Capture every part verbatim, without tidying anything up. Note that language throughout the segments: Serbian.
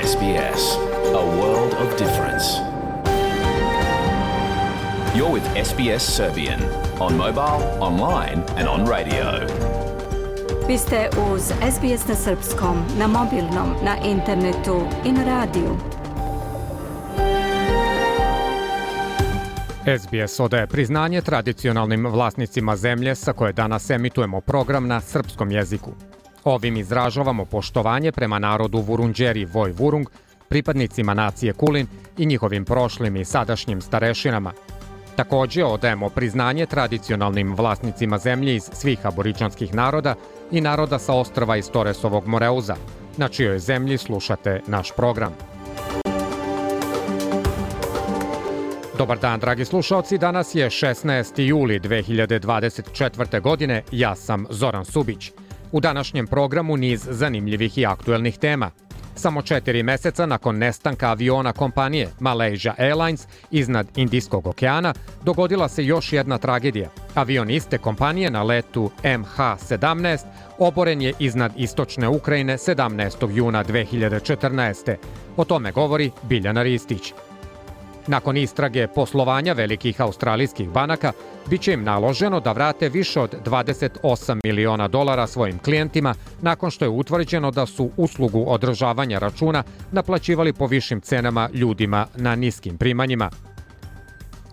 S B S, a world of difference. You're with S B S Serbian on mobile, online and on radio. Vi ste uz S B S na srpskom, na mobilnom, na internetu i na radiju. S B S odaje priznanje tradicionalnim vlasnicima zemlje sa koje danas emitujemo program na srpskom jeziku. Ovim izražavamo poštovanje prema narodu Vurundjeri Voj Vurung, pripadnicima nacije Kulin i njihovim prošlim i sadašnjim starešinama. Također odajemo priznanje tradicionalnim vlasnicima zemlje iz svih aboriđanskih naroda i naroda sa ostrva iz Toresovog Moreuza, na čijoj zemlji slušate naš program. Dobar dan, dragi slušaoci, danas je šesnaesti juli dve hiljade dvadeset četvrte. godine, ja sam Zoran Subić. U današnjem programu niz zanimljivih i aktuelnih tema. Samo četiri meseca nakon nestanka aviona kompanije Malaysia Airlines iznad Indijskog okeana dogodila se još jedna tragedija. Avion iste kompanije na letu M H sedamnaest oboren je iznad istočne Ukrajine sedamnaestog juna dve hiljade četrnaeste. O tome govori Biljana Ristić. Nakon istrage poslovanja velikih australijskih banaka, bit će im naloženo da vrate više od dvadeset osam miliona dolara svojim klijentima nakon što je utvrđeno da su uslugu održavanja računa naplaćivali po višim cenama ljudima na niskim primanjima.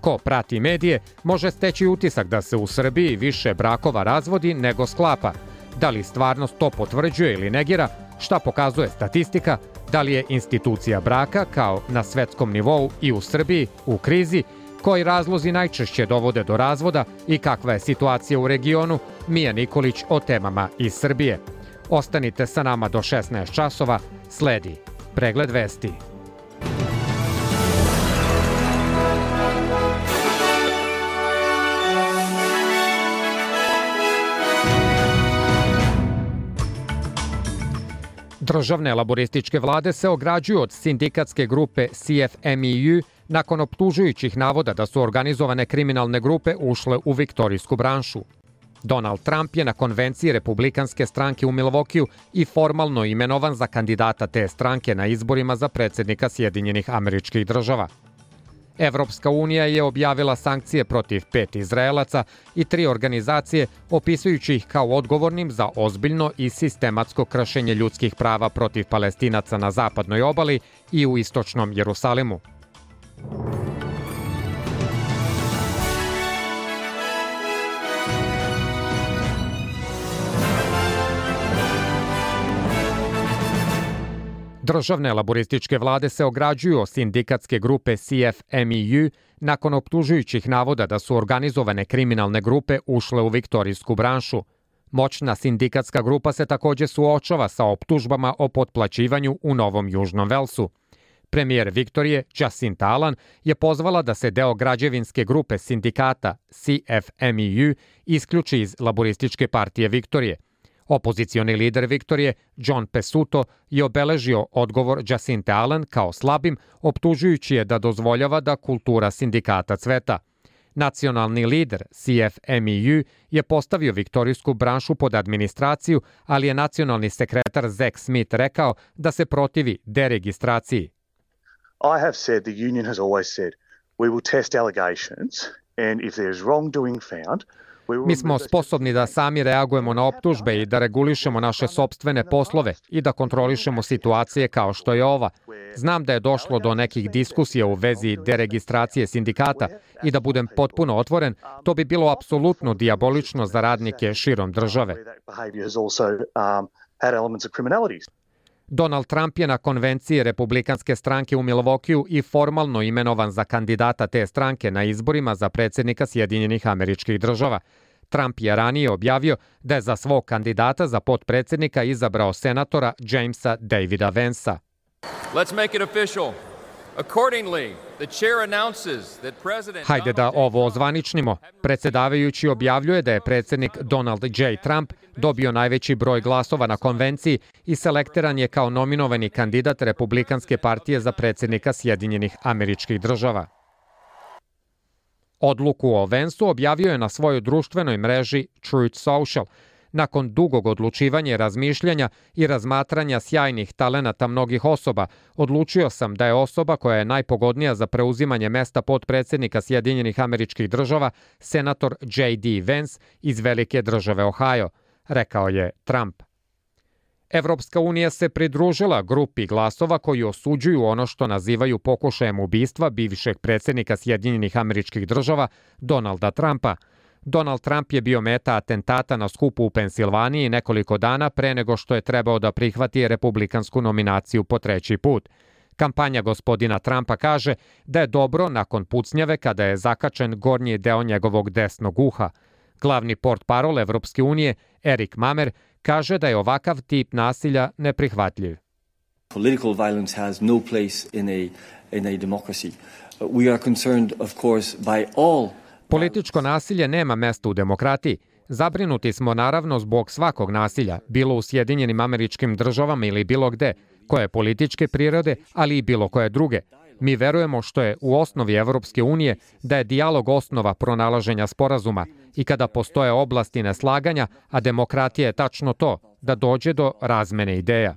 Ko prati medije može steći utisak da se u Srbiji više brakova razvodi nego sklapa. Da li stvarnost to potvrđuje ili negira, šta pokazuje statistika, da li je institucija braka, kao na svetskom nivou i u Srbiji, u krizi, koji razlozi najčešće dovode do razvoda i kakva je situacija u regionu, Mija Nikolić o temama iz Srbije. Ostanite sa nama do šesnaest časova, sledi pregled vesti. Državne laborističke vlade se ograđuju od sindikatske grupe C F M E U nakon optužujućih navoda da su organizovane kriminalne grupe ušle u viktorijsku branšu. Donald Trump je na konvenciji Republikanske stranke u Milwaukeeu i formalno imenovan za kandidata te stranke na izborima za predsjednika Sjedinjenih Američkih Država. Evropska unija je objavila sankcije protiv pet Izraelaca i tri organizacije, opisujući ih kao odgovornim za ozbiljno i sistematsko kršenje ljudskih prava protiv Palestinaca na zapadnoj obali i u istočnom Jerusalimu. Državne laborističke vlade se ograđuju od sindikatske grupe C F M E U nakon optužujućih navoda da su organizovane kriminalne grupe ušle u viktorijsku branšu. Moćna sindikatska grupa se također suočava sa optužbama o potplaćivanju u Novom Južnom Velsu. Premijer Viktorije, Jacinta Ardern, je pozvala da se deo građevinske grupe sindikata C F M E U isključi iz Laborističke partije Viktorije. Opozicioni lider Viktorije, John Pesutto, je obeležio odgovor Jacinte Ardern kao slabim, optužujući je da dozvoljava da kultura sindikata cveta. Nacionalni lider C F M E U je postavio viktorijsku branšu pod administraciju, ali je nacionalni sekretar Zack Smith rekao da se protivi deregistraciji. I have said, the union has always said, we will test allegations and if there is wrongdoing found, Mi smo sposobni da sami reagujemo na optužbe i da regulišemo naše sopstvene poslove i da kontrolišemo situacije kao što je ova. Znam da je došlo do nekih diskusija u vezi deregistracije sindikata i da budem potpuno otvoren, to bi bilo apsolutno dijabolično za radnike širom države. Donald Trump je na konvenciji Republikanske stranke u Milwaukeeu i formalno imenovan za kandidata te stranke na izborima za predsjednika Sjedinjenih Američkih Država. Trump je ranije objavio da je za svog kandidata za potpredsjednika izabrao senatora Jamesa Davida Vansa. Let's make it official. Accordingly, the chair announces that President Hajde da ovo ozvaničnimo. Predsjedavajući objavljuje da je predsjednik Donald J. Trump dobio najveći broj glasova na konvenciji i selektiran je kao nominovani kandidat Republikanske partije za predsjednika Sjedinjenih Američkih Država. Odluku o Vansu objavio je na svojoj društvenoj mreži Truth Social. Nakon dugog odlučivanja i razmišljanja i razmatranja sjajnih talenata mnogih osoba, odlučio sam da je osoba koja je najpogodnija za preuzimanje mesta potpredsednika Sjedinjenih Američkih Država senator J D Vance iz velike države Ohio, rekao je Trump. Evropska unija se pridružila grupi glasova koji osuđuju ono što nazivaju pokušajem ubistva bivšeg predsjednika Sjedinjenih Američkih Država Donalda Trumpa. Donald Trump je bio meta atentata na skupu u Pensilvaniji nekoliko dana pre nego što je trebao da prihvati republikansku nominaciju po treći put. Kampanja gospodina Trumpa kaže da je dobro nakon pucnjave kada je zakačen gornji deo njegovog desnog uha. Glavni portparol Evropske unije, Erik Mamer, kaže da je ovakav tip nasilja neprihvatljiv. Political violence has no place in a in a democracy. We are concerned, of course, by all. Političko nasilje nema mesta u demokratiji. Zabrinuti smo naravno zbog svakog nasilja, bilo u Sjedinjenim Američkim Državama ili bilo gde, koje je političke prirode, ali i bilo koje druge. Mi verujemo što je u osnovi Evropske unije da je dijalog osnova pronalaženja sporazuma i kada postoje oblasti neslaganja, a demokratija je tačno to, da dođe do razmene ideja.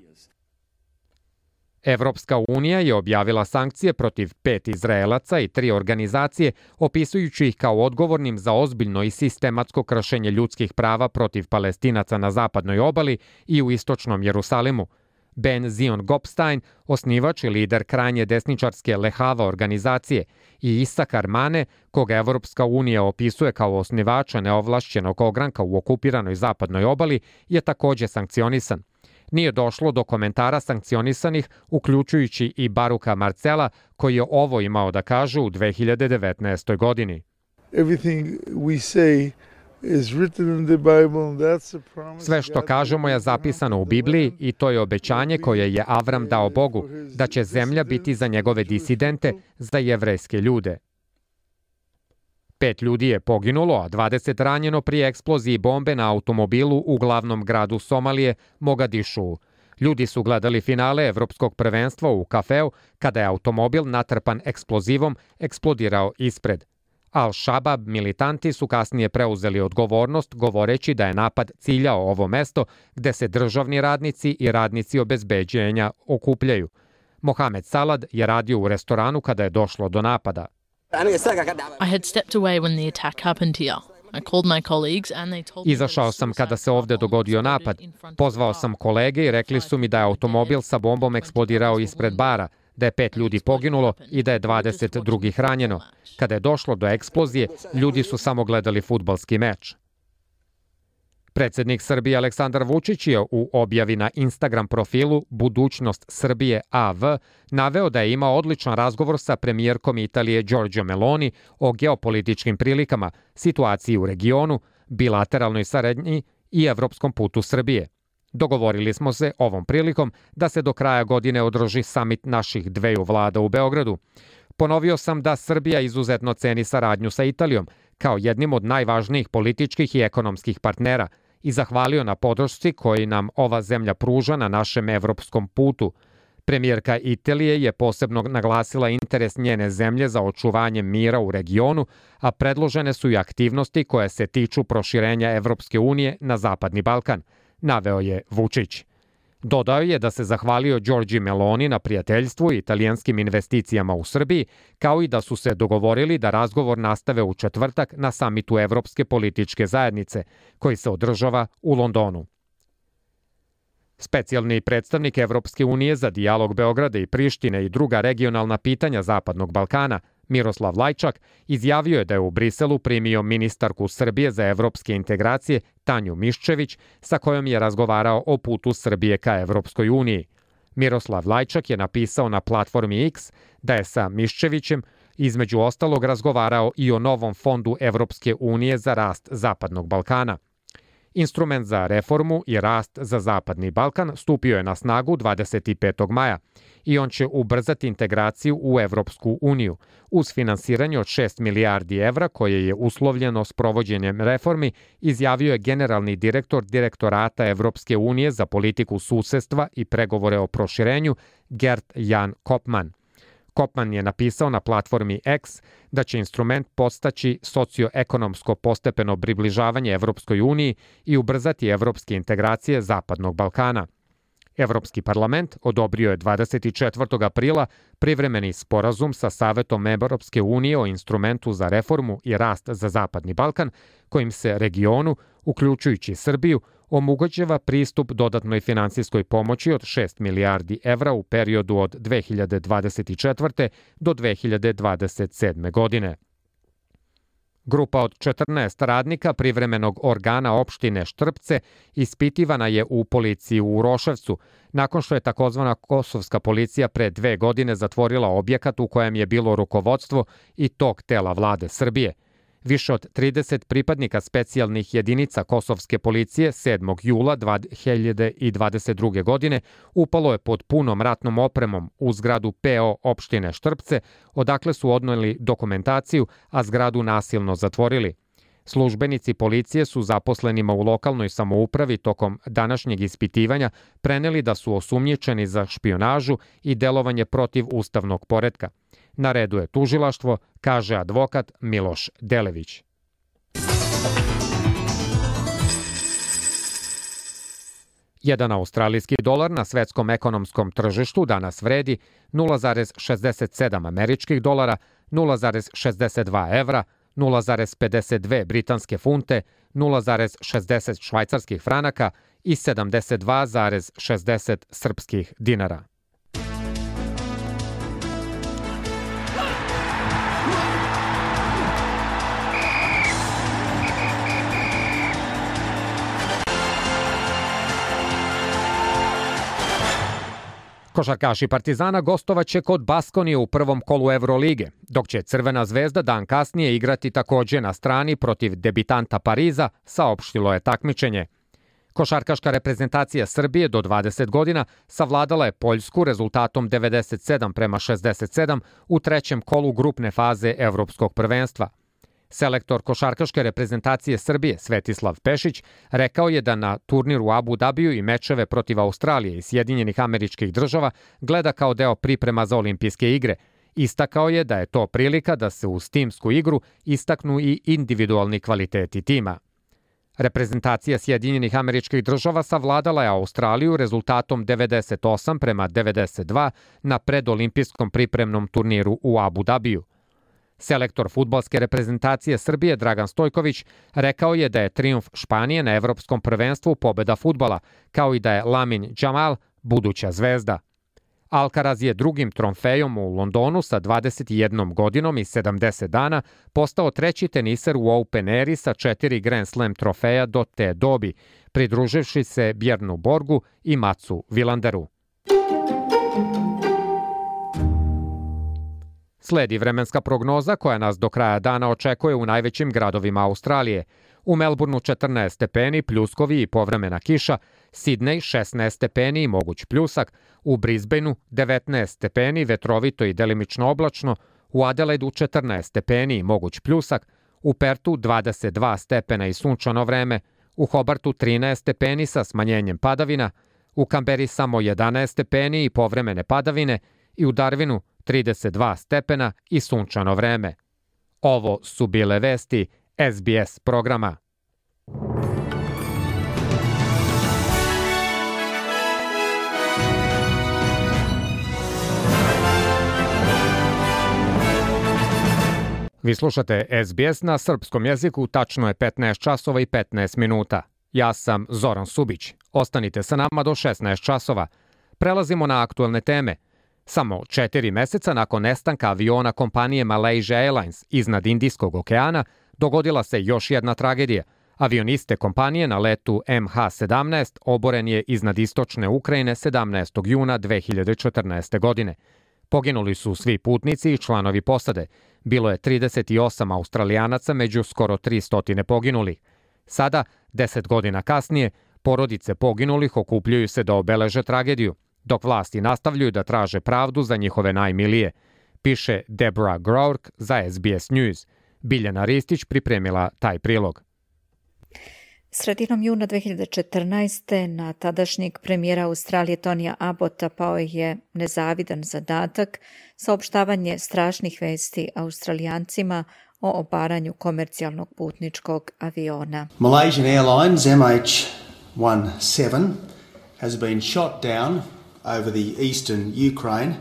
Evropska unija je objavila sankcije protiv pet Izraelaca i tri organizacije, opisujući ih kao odgovornim za ozbiljno i sistematsko kršenje ljudskih prava protiv Palestinaca na zapadnoj obali i u istočnom Jerusalimu. Ben Zion Gopstein, osnivač i lider krajnje desničarske Lehava organizacije, i Isakar Mane, koga Evropska unija opisuje kao osnivača neovlašćenog ogranka u okupiranoj zapadnoj obali, je takođe sankcionisan. Nije došlo do komentara sankcionisanih, uključujući i Baruka Marcela, koji je ovo imao da kaže u dve hiljade devetnaestoj. godini. Sve što kažemo je zapisano u Bibliji i to je obećanje koje je Avram dao Bogu, da će zemlja biti za njegove disidente, za jevrejske ljude. Pet ljudi je poginulo, a dvadeset ranjeno pri eksploziji bombe na automobilu u glavnom gradu Somalije, Mogadišu. Ljudi su gledali finale Evropskog prvenstva u kafeu kada je automobil natrpan eksplozivom eksplodirao ispred. Al-Shabaab militanti su kasnije preuzeli odgovornost govoreći da je napad ciljao ovo mesto gde se državni radnici i radnici obezbeđenja okupljaju. Mohamed Salad je radio u restoranu kada je došlo do napada. I had stepped away when the attack happened here. I called my colleagues and they told me Izašao sam kada se ovde dogodio napad. Pozvao sam kolege i rekli su mi da je automobil sa bombom eksplodirao ispred bara, da je pet ljudi poginulo i da je dvadeset drugih ranjeno. Kada je došlo do eksplozije, ljudi su samo gledali fudbalski meč. Predsednik Srbije Aleksandar Vučić je u objavi na Instagram profilu Budućnost Srbije A V naveo da je imao odličan razgovor sa premijerkom Italije Giorgia Meloni o geopolitičkim prilikama, situaciji u regionu, bilateralnoj saradnji i evropskom putu Srbije. Dogovorili smo se ovom prilikom da se do kraja godine održi samit naših dveju vlada u Beogradu. Ponovio sam da Srbija izuzetno ceni saradnju sa Italijom kao jednim od najvažnijih političkih i ekonomskih partnera i zahvalio na podršci koji nam ova zemlja pruža na našem evropskom putu. Premijerka Italije je posebno naglasila interes njene zemlje za očuvanje mira u regionu, a predložene su i aktivnosti koje se tiču proširenja Evropske unije na Zapadni Balkan, naveo je Vučić. Dodao je da se zahvalio Giorgi Meloni na prijateljstvu i italijanskim investicijama u Srbiji, kao i da su se dogovorili da razgovor nastave u četvrtak na samitu Evropske političke zajednice, koji se održava u Londonu. Specijalni predstavnik Evropske unije za dijalog Beograda i Prištine i druga regionalna pitanja Zapadnog Balkana, Miroslav Lajčak, izjavio je da je u Briselu primio ministarku Srbije za evropske integracije Tanju Miščević, sa kojom je razgovarao o putu Srbije ka Evropskoj uniji. Miroslav Lajčak je napisao na platformi X da je sa Miščevićem između ostalog razgovarao i o novom fondu Evropske unije za rast Zapadnog Balkana. Instrument za reformu i rast za Zapadni Balkan stupio je na snagu dvadeset petog maja i on će ubrzati integraciju u Evropsku uniju uz finansiranje od šest milijardi evra koje je uslovljeno s provođenjem reformi, izjavio je generalni direktor Direktorata Evropske unije za politiku susedstva i pregovore o proširenju Gert Jan Kopman. Kopman je napisao na platformi X da će instrument postaći socioekonomsko postepeno približavanje Evropskoj uniji i ubrzati evropske integracije Zapadnog Balkana. Evropski parlament odobrio je dvadeset četvrtog aprila privremeni sporazum sa Savetom Evropske unije o instrumentu za reformu i rast za Zapadni Balkan, kojim se regionu, uključujući Srbiju, omogućava pristup dodatnoj finansijskoj pomoći od šest milijardi evra u periodu od dve hiljade dvadeset četvrte. do dve hiljade dvadeset sedme. godine. Grupa od četrnaest radnika privremenog organa opštine Štrpce ispitivana je u policiji u Uroševcu, nakon što je takozvana kosovska policija pre dve godine zatvorila objekat u kojem je bilo rukovodstvo i tog tela vlade Srbije. Više od trideset pripadnika specijalnih jedinica kosovske policije sedmog jula dve hiljade dvadeset druge. godine upalo je pod punom ratnom opremom u zgradu P O opštine Štrpce, odakle su odneli dokumentaciju, a zgradu nasilno zatvorili. Službenici policije su zaposlenima u lokalnoj samoupravi tokom današnjeg ispitivanja preneli da su osumnjičeni za špijunažu i delovanje protiv ustavnog poretka. Na redu je tužilaštvo, kaže advokat Miloš Delević. Jedan australijski dolar na svetskom ekonomskom tržištu danas vredi nula zarez šezdeset sedam američkih dolara, nula zarez šezdeset dva evra, nula zarez pedeset dve britanske funte, nula zarez šezdeset švajcarskih franaka i sedamdeset dva zarez šezdeset srpskih dinara. Košarkaši Partizana gostovaće kod Baskonije u prvom kolu Evrolige, dok će Crvena zvezda dan kasnije igrati takođe na strani protiv debitanta Pariza, saopštilo je takmičenje. Košarkaška reprezentacija Srbije do dvadeset godina savladala je Poljsku rezultatom devedeset sedam prema šezdeset sedam u trećem kolu grupne faze Evropskog prvenstva. Selektor košarkaške reprezentacije Srbije Svetislav Pešić rekao je da na turniru u Abu Dabiju i mečeve protiv Australije i Sjedinjenih Američkih Država gleda kao deo priprema za olimpijske igre. Istakao je da je to prilika da se uz timsku igru istaknu i individualni kvaliteti tima. Reprezentacija Sjedinjenih Američkih Država savladala je Australiju rezultatom devedeset osam prema devedeset dva na predolimpijskom pripremnom turniru u Abu Dabiju. Selektor fudbalske reprezentacije Srbije Dragan Stojković rekao je da je trijumf Španije na evropskom prvenstvu pobeda fudbala, kao i da je Lamin Jamal buduća zvezda. Alcaraz je drugim trofejom u Londonu sa dvadeset jednom godinom i sedamdeset dana postao treći teniser u Open eri sa četiri Grand Slam trofeja do te dobi, pridruživši se Bjernu Borgu i Matsu Vilanderu. Sledi vremenska prognoza koja nas do kraja dana očekuje u najvećim gradovima Australije. U Melbourneu četrnaest stepeni, pljuskovi i povremena kiša, Sidney šesnaest stepeni i moguć pljusak, u Brisbaneu devetnaest stepeni, vetrovito i delimično oblačno, u Adelaidu četrnaest stepeni i moguć pljusak, u Pertu dvadeset dva stepena i sunčano vreme, u Hobartu trinaest stepeni sa smanjenjem padavina, u Kamberi samo jedanaest stepeni i povremene padavine i u Darwinu trideset dva stepena i sunčano vreme. Ovo su bile vesti S B S programa. Vi slušate S B S na srpskom jeziku, tačno je petnaest časova i petnaest minuta. Ja sam Zoran Subić. Ostanite sa nama do šesnaest časova. Prelazimo na aktuelne teme. Samo četiri meseca nakon nestanka aviona kompanije Malaysia Airlines iznad Indijskog okeana, dogodila se još jedna tragedija. Avioniste kompanije na letu M H sedamnaest oboren je iznad istočne Ukrajine sedamnaestog juna dve hiljade četrnaeste. godine. Poginuli su svi putnici i članovi posade. Bilo je trideset osam Australijanaca među skoro tristo poginulih. Sada, deset godina kasnije, porodice poginulih okupljaju se da obeleže tragediju, dok vlasti nastavljaju da traže pravdu za njihove najmilije, piše Deborah Groark za S B S News. Biljana Ristić pripremila taj prilog. Sredinom juna dve hiljade četrnaeste. na tadašnjeg premijera Australije Tonija Abbotta pao je nezavidan zadatak saopštavanje strašnih vesti Australijancima o obaranju komercijalnog putničkog aviona. Malaysian Airlines M H seventeen has been shot down over the eastern Ukraine.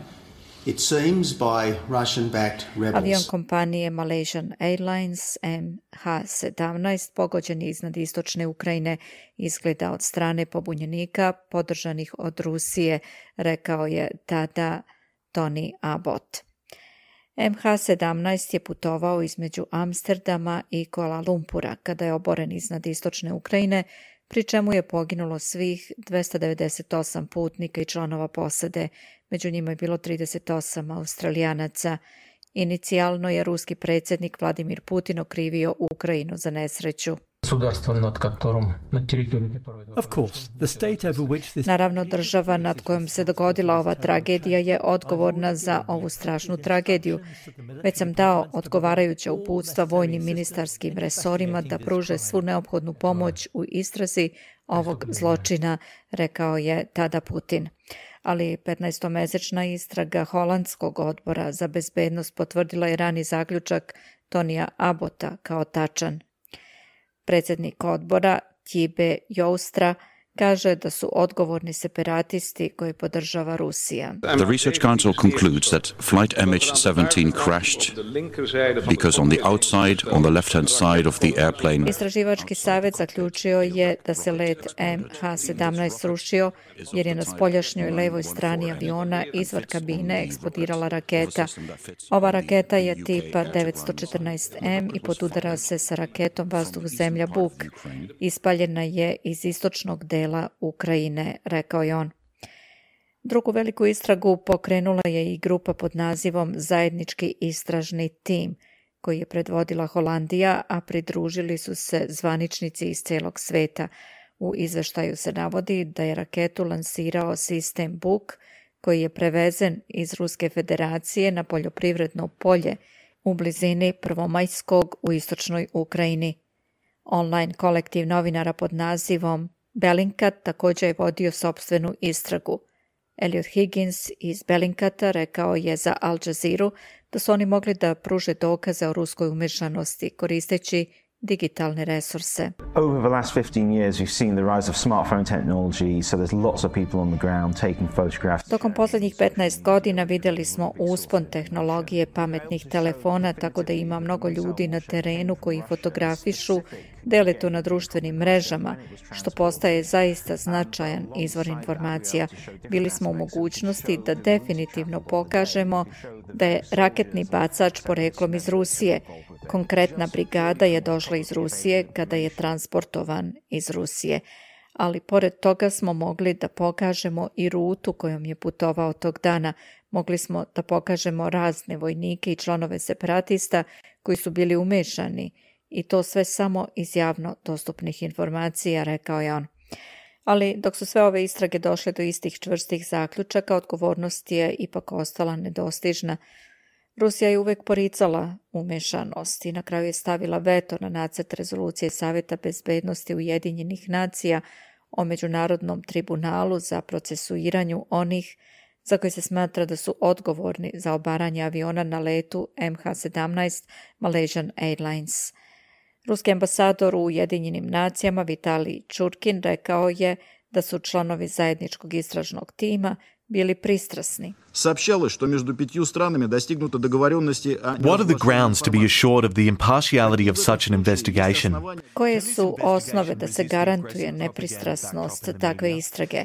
It seems by Russian-backed rebels. Avion kompanije Malaysian Airlines M H sedamnaest pogođen je iznad istočne Ukrajine, izgleda od strane pobunjenika podržanih od Rusije, rekao je tada Tony Abbott. M H sedamnaest je putovao između Amsterdama i Kuala Lumpura kada je oboren iznad istočne Ukrajine, pri čemu je poginulo svih dvesta devedeset osam putnika i članova posade, među njima je bilo trideset osam Australijanaca. Inicijalno je ruski predsjednik Vladimir Putin okrivio Ukrajinu za nesreću. Naravno, država nad kojom se dogodila ova tragedija je odgovorna za ovu strašnu tragediju. Već sam dao odgovarajuća uputstva vojnim ministarskim resorima da pruže svu neophodnu pomoć u istrazi ovog zločina, rekao je tada Putin. Ali petnaestomesečna istraga holandskog odbora za bezbednost potvrdila je rani zaključak Tonija Abbotta kao tačan. Predsjednik odbora Tjibe Joustra kaže da su odgovorni separatisti koje podržava Rusija. The Research Council concludes that flight M H seventeen crashed because on the outside, on the left-hand side of the airplane. Istraživački savjet zaključio je da se let M H sedamnaest srušio jer je na spoljašnjoj levoj strani aviona izvan kabine eksplodirala raketa. Ova raketa je tipa devetsto četrnaest M i podudara se sa raketom vazduh-zemlja Buk. Ispaljena je iz istočnog dela Ukrajine, rekao je on. Drugu veliku istragu pokrenula je i grupa pod nazivom Zajednički istražni tim, koji je predvodila Holandija, a pridružili su se zvaničnici iz celog sveta. U izveštaju se navodi da je raketu lansirao sistem Buk, koji je prevezen iz Ruske federacije na poljoprivredno polje u blizini Prvomajskog u istočnoj Ukrajini. Online kolektiv novinara pod nazivom Bellingcat također je vodio sopstvenu istragu. Elliot Higgins iz Bellingcata rekao je za Al Jazeera da su oni mogli da pruže dokaze o ruskoj umešanosti koristeći digitalne resurse. Over the last fifteen years we've seen the rise of smartphone technology, so there's lots of people on the ground taking photographs. Tokom posljednjih petnaest godina vidjeli smo uspon tehnologije pametnih telefona, tako da ima mnogo ljudi na terenu koji fotografišu, dele to na društvenim mrežama, što postaje zaista značajan izvor informacija. Bili smo u mogućnosti da definitivno pokažemo da je raketni bacač poreklom iz Rusije. Konkretna brigada je došla iz Rusije kada je transportovan iz Rusije. Ali pored toga smo mogli da pokažemo i rutu kojom je putovao tog dana. Mogli smo da pokažemo razne vojnike i članove separatista koji su bili umešani i to sve samo iz javno dostupnih informacija, rekao je on. Ali dok su sve ove istrage došle do istih čvrstih zaključaka, odgovornost je ipak ostala nedostižna. Rusija je uvek poricala umešanost i na kraju je stavila veto na nacrt rezolucije Savjeta bezbednosti Ujedinjenih nacija o Međunarodnom tribunalu za procesuiranju onih za koji se smatra da su odgovorni za obaranje aviona na letu M H sedamnaest Malaysian Airlines. Ruski ambasador u Ujedinjenim nacijama Vitalij Churkin rekao je da su članovi zajedničkog istražnog tima bili pristrasni. Сообщалось, что между пятью странами достигнуто договоренности о... What are the grounds to be assured of the impartiality of such an investigation? Koje su osnove da se garantuje nepristrasnost takve istrage?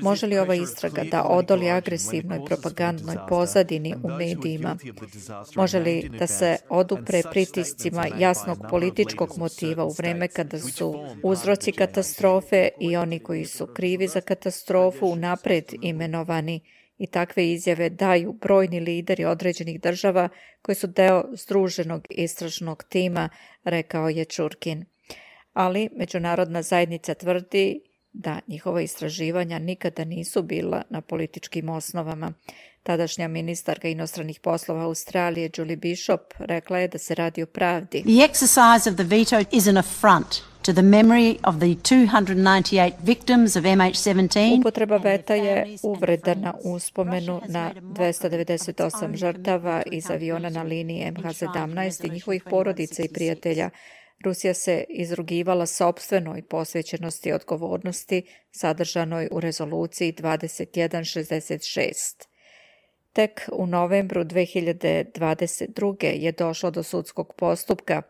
Može li ova istraga da odoli agresivnoj propagandnoj pozadini u medijima? Može li da se odupre pritiscima jasnog političkog motiva u vreme kada su uzroci katastrofe i oni koji su krivi za katastrofu unapred imenovani? I takve izjave daju brojni lideri određenih država koji su deo združenog istražnog tima, rekao je Churkin. Ali međunarodna zajednica tvrdi da njihova istraživanja nikada nisu bila na političkim osnovama. Tadašnja ministarka inostranih poslova Australije Julie Bishop rekla je da se radi o pravdi. The exercise of the veto is an affront to the memory of the two hundred ninety-eight victims of M H seventeen. Upotreba veta je uvreda na uspomenu na dvesta devedeset osam žrtava iz aviona na liniji M H sedamnaest i njihovih porodica i prijatelja. Rusija se izrugivala sopstvenoj posvećenosti i odgovornosti sadržanoj u rezoluciji dvadeset jedan šezdeset šest. Tek u novembru dve hiljade dvadeset druge. je došlo do sudskog postupka,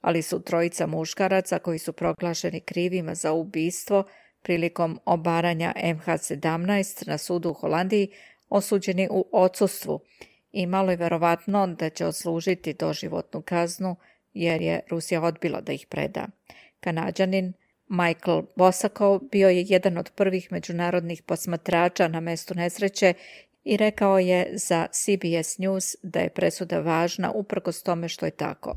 ali su trojica muškaraca koji su proglašeni krivima za ubistvo prilikom obaranja M H sedamnaest na sudu u Holandiji osuđeni u odsustvu i malo je verovatno da će odslužiti doživotnu kaznu jer je Rusija odbila da ih preda. Kanađanin Michael Bosakov bio je jedan od prvih međunarodnih posmatrača na mestu nesreće i rekao je za C B S News da je presuda važna uprkos tome što je tako.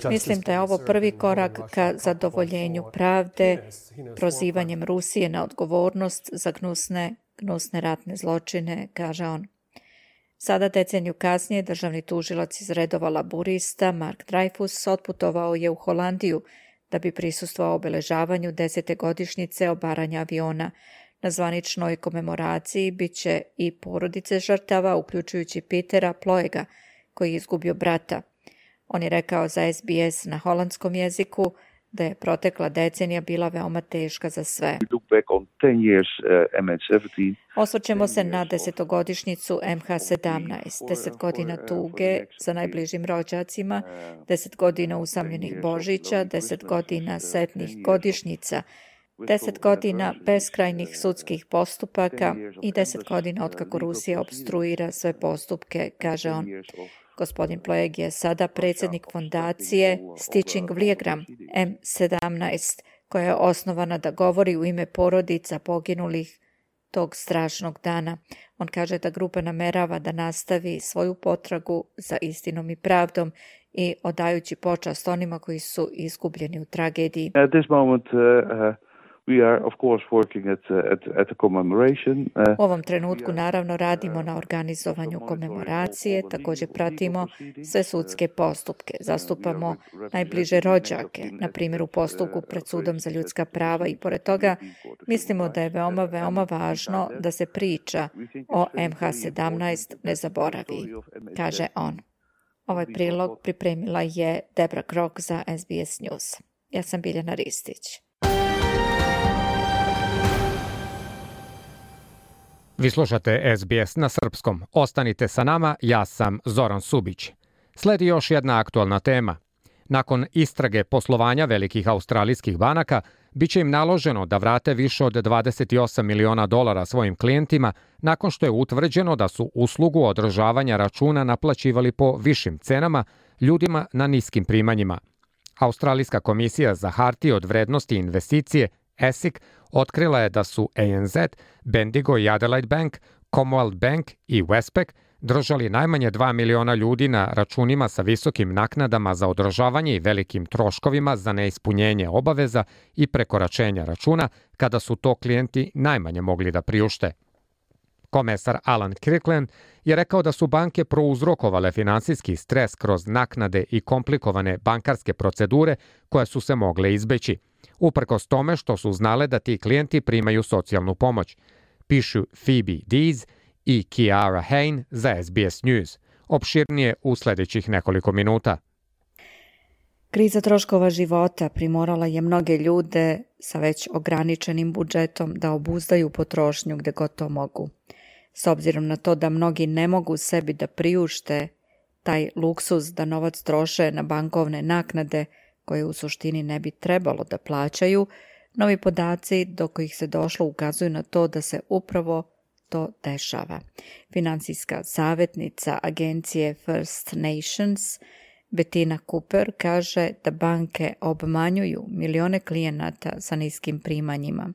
Mislim da je ovo prvi korak ka zadovoljenju pravde, prozivanjem Rusije na odgovornost za gnusne, gnusne ratne zločine, kaže on. Sada deceniju kasnije državni tužilac iz redova laburista Mark Dreyfus otputovao je u Holandiju da bi prisustvovao obeležavanju desete godišnjice obaranja aviona. Na zvaničnoj komemoraciji bit će i porodice žrtava, uključujući Petera Ploega, koji je izgubio brata. On je rekao za S B S na holandskom jeziku da je protekla decenija bila veoma teška za sve. Osvrćemo se na desetogodišnjicu M H sedamnaest, deset godina tuge za najbližim rođacima, deset godina usamljenih Božića, deset godina setnih godišnjica, deset godina beskrajnih sudskih postupaka i deset godina otkako Rusija opstruira sve postupke, kaže on. Gospodin Ploeg je sada predsjednik fondacije Stitching Vlijegram M sedamnaest, koja je osnovana da govori u ime porodica poginulih tog strašnog dana. On kaže da grupa namerava da nastavi svoju potragu za istinom i pravdom i odajući počast onima koji su izgubljeni u tragediji. At this moment, uh, uh... We are, of course, working at, at, at the commemoration. Uh, U ovom trenutku naravno radimo na organizovanju komemoracije, također pratimo sve sudske postupke, zastupamo najbliže rođake, na primjer u postupku pred sudom za ljudska prava i pored toga mislimo da je veoma, veoma važno da se priča o M H sedamnaest ne zaboravi, kaže on. Ovaj prilog pripremila je Debra Krok za S B S News. Ja sam Biljana Ristić. Vi slušate S B S na srpskom. Ostanite sa nama, ja sam Zoran Subić. Sledi još jedna aktualna tema. Nakon istrage poslovanja velikih australijskih banaka, biće im naloženo da vrate više od dvadeset osam miliona dolara svojim klijentima nakon što je utvrđeno da su uslugu održavanja računa naplaćivali po višim cenama ljudima na niskim primanjima. Australijska komisija za hartije od vrednosti i investicije E S I C otkrila je da su A N Z, Bendigo i Adelaide Bank, Commonwealth Bank i Westpac držali najmanje dva miliona ljudi na računima sa visokim naknadama za održavanje i velikim troškovima za neispunjenje obaveza i prekoračenja računa kada su to klijenti najmanje mogli da priušte. Komesar Alan Kirkland je rekao da su banke prouzrokovale finansijski stres kroz naknade i komplikovane bankarske procedure koje su se mogle izbeći, uprkos tome što su znale da ti klijenti primaju socijalnu pomoć, pišu Phoebe Dees i Kiara Hain za S B S News. Opširnije u sljedećih nekoliko minuta. Kriza troškova života primorala je mnoge ljude sa već ograničenim budžetom da obuzdaju potrošnju gde god to mogu. S obzirom na to da mnogi ne mogu sebi da priušte taj luksuz da novac troše na bankovne naknade koje u suštini ne bi trebalo da plaćaju, novi podaci do kojih se došlo ukazuju na to da se upravo to dešava. Finansijska savjetnica agencije First Nations Bettina Cooper kaže da banke obmanjuju milione klijenata sa niskim primanjima.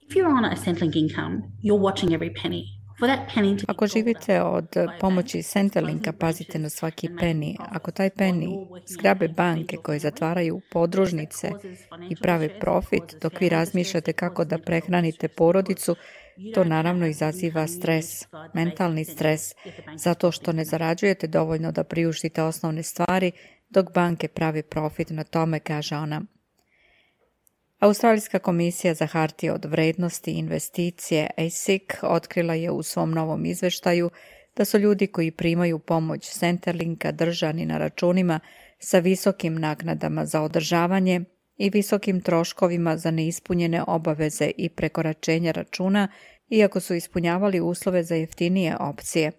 If you're on a Centrelink income, you're watching every penny. Ako živite od pomoći Centrelinka, pazite na svaki penny. Ako taj penny zgrabe banke koje zatvaraju podružnice i prave profit, dok vi razmišljate kako da prehranite porodicu, to naravno izaziva stres, mentalni stres, zato što ne zarađujete dovoljno da priuštite osnovne stvari, dok banke pravi profit na tome, kaže ona. Australijska komisija za hartije od vrednosti i investicije A S I C otkrila je u svom novom izveštaju da su ljudi koji primaju pomoć Centrelinka držani na računima sa visokim naknadama za održavanje i visokim troškovima za neispunjene obaveze i prekoračenja računa, iako su ispunjavali uslove za jeftinije opcije.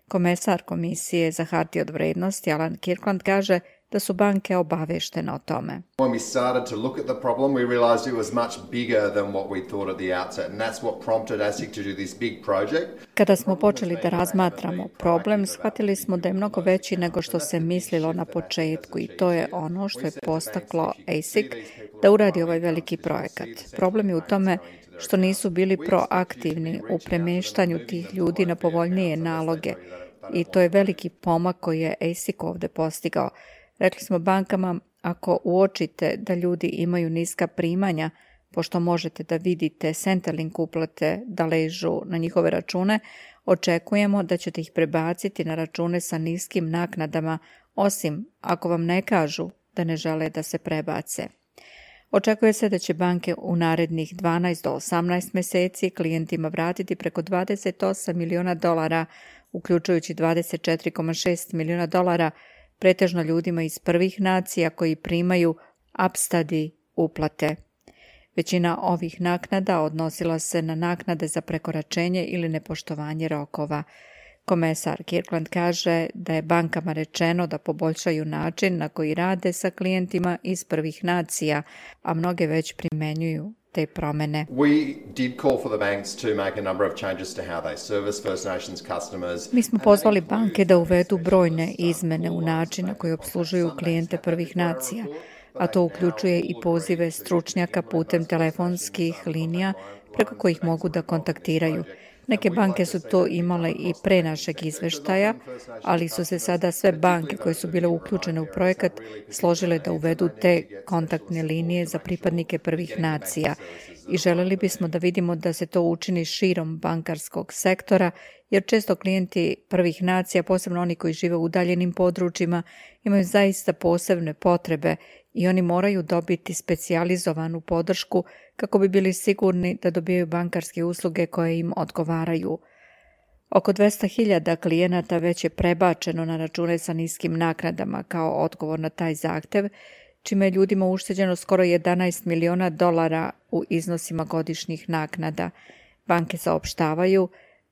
Komesar Komisije za hartije od vrednosti Alan Kirkland kaže da su banke obaveštene o tome. When we started to look at the problem, we realized it was much bigger than what we thought at the outset, and that's what prompted A S I C to do this big project. Kada smo počeli da razmatramo problem, shvatili smo da je mnogo veći nego što se mislilo na početku i to je ono što je postaklo A S I C da uradi ovaj veliki projekat. Problem je u tome što nisu bili proaktivni u premještanju tih ljudi na povoljnije naloge i to je veliki pomak koji je A S I C ovdje postigao. Rekli smo bankama, ako uočite da ljudi imaju niska primanja, pošto možete da vidite Centrelink uplate da ležu na njihove račune, očekujemo da ćete ih prebaciti na račune sa niskim naknadama, osim ako vam ne kažu da ne žele da se prebace. Očekuje se da će banke u narednih dvanaest do osamnaest mjeseci klijentima vratiti preko dvadeset osam miliona dolara, uključujući dvadeset četiri zarez šest miliona dolara, pretežno ljudima iz prvih nacija koji primaju upstudy uplate. Većina ovih naknada odnosila se na naknade za prekoračenje ili nepoštovanje rokova. Komesar Kirkland kaže da je bankama rečeno da poboljšaju način na koji rade sa klijentima iz prvih nacija, a mnoge već primenjuju te promene. We did call for the banks to make a number of changes to how they service First Nations customers. Mi smo pozvali banke da uvedu brojne izmene u način na koji obslužuju klijente prvih nacija, a to uključuje i pozive stručnjaka putem telefonskih linija preko kojih mogu da kontaktiraju. Neke banke su to imale i pre našeg izveštaja, ali su se sada sve banke koje su bile uključene u projekat složile da uvedu te kontaktne linije za pripadnike prvih nacija i želeli bismo da vidimo da se to učini širom bankarskog sektora, jer često klijenti prvih nacija, posebno oni koji žive u udaljenim područjima, imaju zaista posebne potrebe i oni moraju dobiti specijalizovanu podršku kako bi bili sigurni da dobijaju bankarske usluge koje im odgovaraju. Oko dvesta hiljada klijenata već je prebačeno na račune sa niskim naknadama kao odgovor na taj zahtev, čime je ljudima ušteđeno skoro jedanaest miliona dolara u iznosima godišnjih naknada. Banke saopštavaju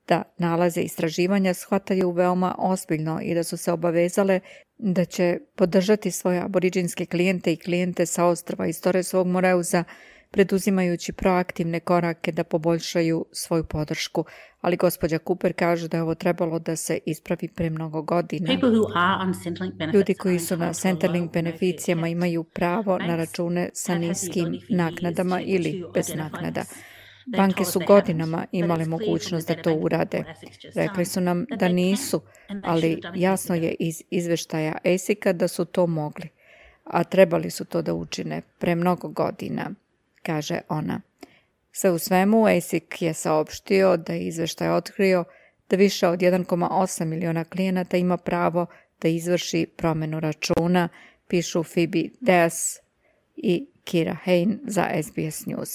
da nalaze istraživanja shvataju veoma ozbiljno i da su se obavezale da će podržati svoje aboriđinske klijente i klijente sa ostrva iz Torresovog Moreuza, preduzimajući proaktivne korake da poboljšaju svoju podršku. Ali gospođa Cooper kaže da je ovo trebalo da se ispravi pre mnogo godina. Ljudi koji su na Centrelink beneficijama imaju pravo na račune sa niskim naknadama ili bez naknada. Banke su godinama imale mogućnost da to urade. Rekli su nam da nisu, ali jasno je iz izveštaja A S I C-a da su to mogli, a trebali su to da učine pre mnogo godina, kaže ona. Sve u svemu, A S I C je saopštio da je izveštaj otkrio da više od jedan zarez osam miliona klijenata ima pravo da izvrši promenu računa, pišu Phoebe Deas i Kira Hain za S B S News.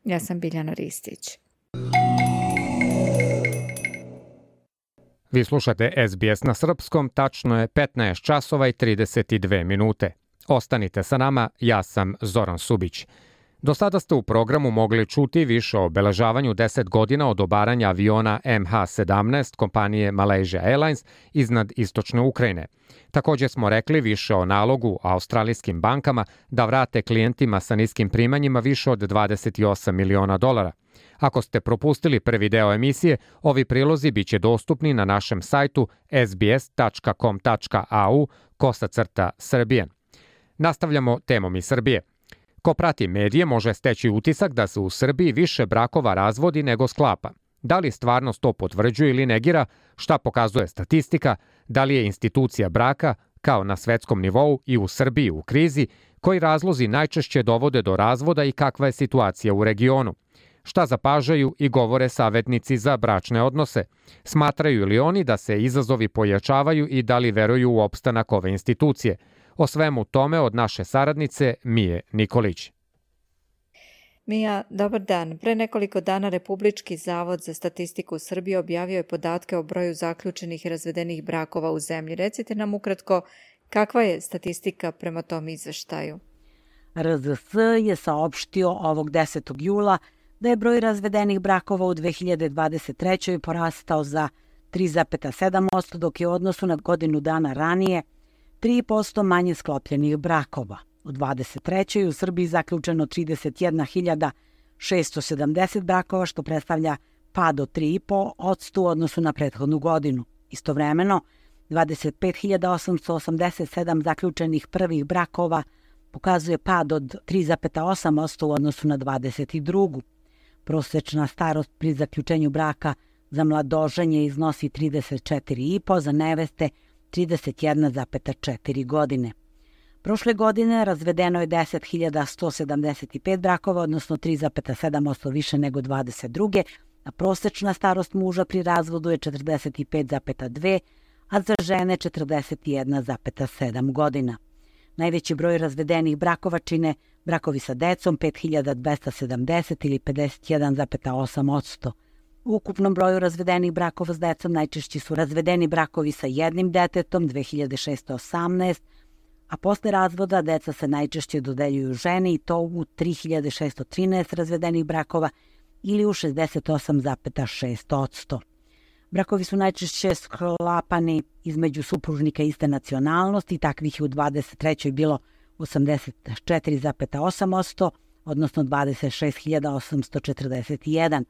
Ja sam Biljana Ristić. Vi slušate S B S na srpskom, tačno je petnaest časova i trideset dve minute. Ostanite sa nama, ja sam Zoran Subić. Do sada ste u programu mogli čuti više o obeležavanju deset godina od obaranja aviona M H sedamnaest kompanije Malaysia Airlines iznad istočne Ukrajine. Također smo rekli više o nalogu australijskim bankama da vrate klijentima sa niskim primanjima više od dvadeset osam miliona dolara. Ako ste propustili prvi deo emisije, ovi prilozi biće dostupni na našem sajtu s b s tačka com tačka a u kosacrta Srbije. Nastavljamo temom iz Srbije. Ko prati medije može steći utisak da se u Srbiji više brakova razvodi nego sklapa. Da li stvarnost to potvrđuje ili negira, šta pokazuje statistika, da li je institucija braka, kao na svetskom nivou i u Srbiji u krizi, koji razlozi najčešće dovode do razvoda i kakva je situacija u regionu. Šta zapažaju i govore savetnici za bračne odnose? Smatraju li oni da se izazovi pojačavaju i da li veruju u opstanak ove institucije? O svemu tome od naše saradnice Mije Nikolić. Mija, dobar dan. Pre nekoliko dana Republički zavod za statistiku Srbije objavio je podatke o broju zaključenih i razvedenih brakova u zemlji. Recite nam ukratko kakva je statistika prema tom izveštaju. R Z S je saopštio ovog desetog jula da je broj razvedenih brakova u dve hiljade dvadeset trećoj porastao za tri zarez sedam posto, dok je u odnosu na godinu dana ranije tri posto manje sklopljenih brakova. U dvadeset trećoj u Srbiji zaključeno trideset jedna hiljada šesto sedamdeset brakova, što predstavlja pad od tri zarez pet posto u odnosu na prethodnu godinu. Istovremeno, dvadeset pet hiljada osamsto osamdeset sedam zaključenih prvih brakova pokazuje pad od tri zarez osam posto u odnosu na dvadeset drugu. Prosečna starost pri zaključenju braka za mladoženje iznosi trideset četiri zarez pet, za neveste trideset jedna zarez četiri godine. Prošle godine razvedeno je deset hiljada sto sedamdeset pet brakova, odnosno tri zarez sedam posto više nego dvadeset druge, a prosečna starost muža pri razvodu je četrdeset pet zarez dve, a za žene četrdeset jedna zarez sedam godina. Najveći broj razvedenih brakova čine brakovi sa decom, pet hiljada dvesta sedamdeset ili pedeset jedan zarez osam posto. U ukupnom broju razvedenih brakova s decom najčešći su razvedeni brakovi sa jednim detetom, dve hiljade šesto osamnaest, a posle razvoda deca se najčešće dodeljuju ženi i to u tri hiljade šesto trinaest razvedenih brakova ili u šezdeset osam zarez šest posto. Brakovi su najčešće sklapani između supružnika iste nacionalnosti, takvih je u dvadeset trećoj bilo osamdeset četiri zarez osam posto, odnosno dvadeset šest hiljada osamsto četrdeset jedan.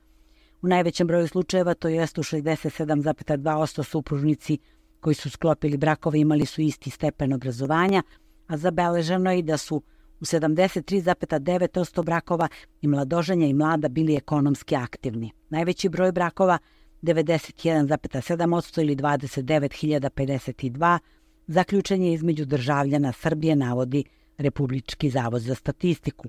U najvećem broju slučajeva, to jest u šezdeset sedam zarez dva posto supružnici koji su sklopili brakove imali su isti stepen obrazovanja, a zabeleženo je i da su u sedamdeset tri zarez devet posto brakova i mladoženja i mlada bili ekonomski aktivni. Najveći broj brakova, devedeset jedan zarez sedam posto ili dvadeset devet hiljada pedeset dva, zaključen je između državljana Srbije, navodi Republički zavod za statistiku.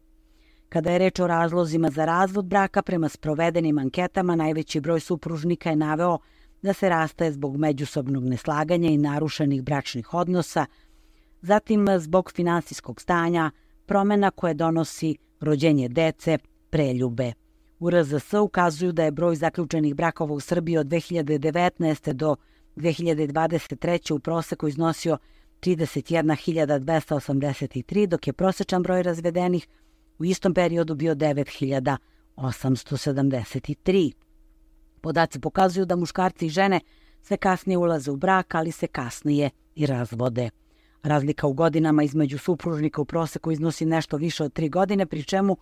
Kada je reč o razlozima za razvod braka, prema sprovedenim anketama najveći broj supružnika je naveo da se rastaje zbog međusobnog neslaganja i narušenih bračnih odnosa, zatim zbog finansijskog stanja, promena koje donosi rođenje dece, preljube. U R Z S ukazuju da je broj zaključenih brakova u Srbiji od dve hiljade devetnaeste. do dve hiljade dvadeset treće. u proseku iznosio trideset jedna hiljada dvesta osamdeset tri, dok je prosečan broj razvedenih u istom periodu bio devet hiljada osamsto sedamdeset tri. Podaci pokazuju da muškarci i žene sve kasnije ulaze u brak, ali se kasnije i razvode. Razlika u godinama između supružnika u proseku iznosi nešto više od tri godine, pri čemu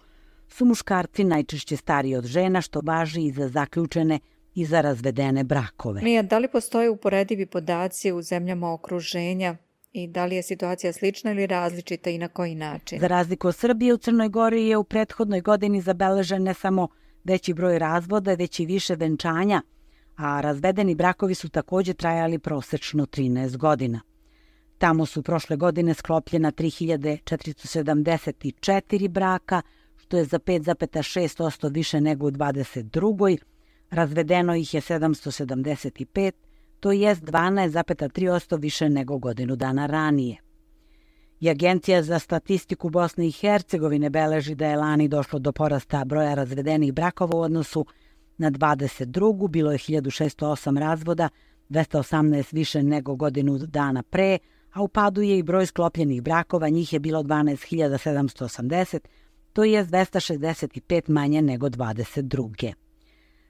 su muškarci najčešće stariji od žena, što važi i za zaključene i za razvedene brakove. Mija, da li postoje uporedivi podaci u zemljama okruženja i da li je situacija slična ili različita i na koji način? Za razliku od Srbije, u Crnoj Gori je u prethodnoj godini zabeležen ne samo veći broj razvoda, već i više venčanja, a razvedeni brakovi su takođe trajali prosečno trinaest godina. Tamo su prošle godine sklopljena tri hiljade četiristo sedamdeset četiri braka, što je za pet zarez šest posto više nego u dvadeset drugoj. Razvedeno ih je sedamsto sedamdeset pet, to jest dvanaest zarez tri posto više nego godinu dana ranije. I Agencija za statistiku Bosne i Hercegovine beleži da je lani došlo do porasta broja razvedenih brakova u odnosu na dvadeset drugu. Bilo je hiljadu šesto osam razvoda, dvesta osamnaest više nego godinu dana pre, a u padu je i broj sklopljenih brakova, njih je bilo dvanaest hiljada sedamsto osamdeset, to je dvesta šezdeset pet manje nego dvadeset druge.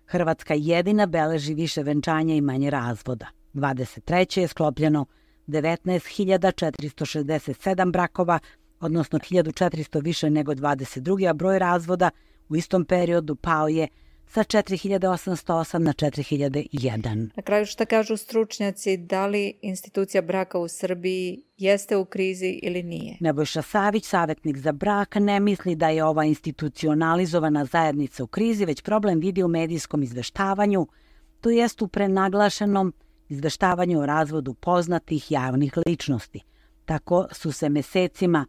Hrvatska jedina beleži više venčanja i manje razvoda. dvadeset treće je sklopljeno devetnaest hiljada četiristo šezdeset sedam brakova, odnosno hiljadu četiristo više nego dvadeset druge. a broj razvoda u istom periodu pao je sa četiri hiljade osamsto osam na četiri hiljade jedan. Na kraju šta kažu stručnjaci, da li institucija braka u Srbiji jeste u krizi ili nije? Nebojša Savić, savjetnik za brak, ne misli da je ova institucionalizovana zajednica u krizi, već problem vidi u medijskom izveštavanju, to jest u prenaglašenom izveštavanju o razvodu poznatih javnih ličnosti. Tako su se mesecima